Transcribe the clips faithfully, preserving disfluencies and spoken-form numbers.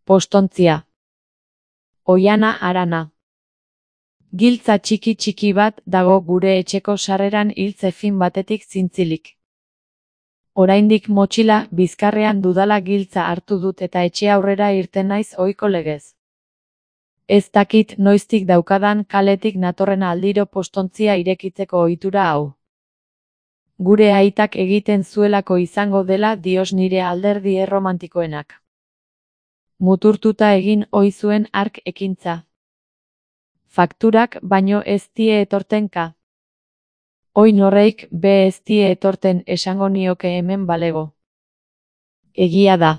Postontzia. Oiana harana. Giltza txiki txiki bat dago gure etxeko sarreran hiltze fin batetik zintzilik. Oraindik motxila bizkarrean dudala giltza hartu dut eta etxe aurrera irten naiz ohiko legez. Ez dakit noiztik daukadan kaletik natorren aldiro postontzia irekitzeko ohitura hau. Gure aitak egiten zuelako izango dela dios nire alderdi erromantikoenak. Muturtuta egin ohi zuen hark ekintza. Fakturak baino ez die etortenka. Oin horreik be ez die etorten esango nioke hemen balego. Egia da.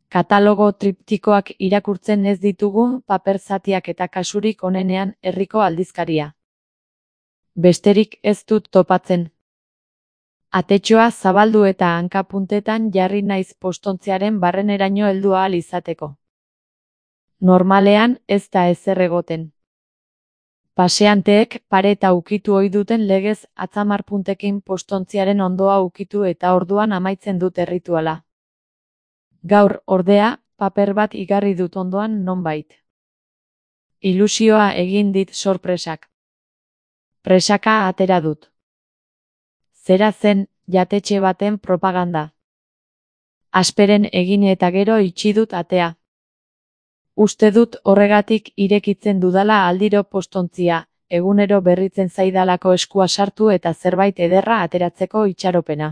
Katalogo triptikoak irakurtzen ez ditugu paper zatiak eta kasurik onenean herriko aldizkaria. Besterik ez dut topatzen. Atetxoa zabaldu eta hankapuntetan jarri naiz postontziaren barreneraino heldu ahal izateko. Normalean ez da ezer egoten. Paseanteek pareta ukitu ohi duten legez atzamarpuntekin postontziaren ondoa ukitu eta orduan amaitzen dut errituala. Gaur, ordea, paper bat igarri dut ondoan nonbait. Ilusioa egin dit sorpresak. Presaka atera dut. Zera zen, jatetxe baten propaganda. Asperen egin eta gero itxi dut atea. Uste dut horregatik irekitzen dudala aldiro postontzia, egunero berritzen zaidalako eskua sartu eta zerbait ederra ateratzeko itxaropena.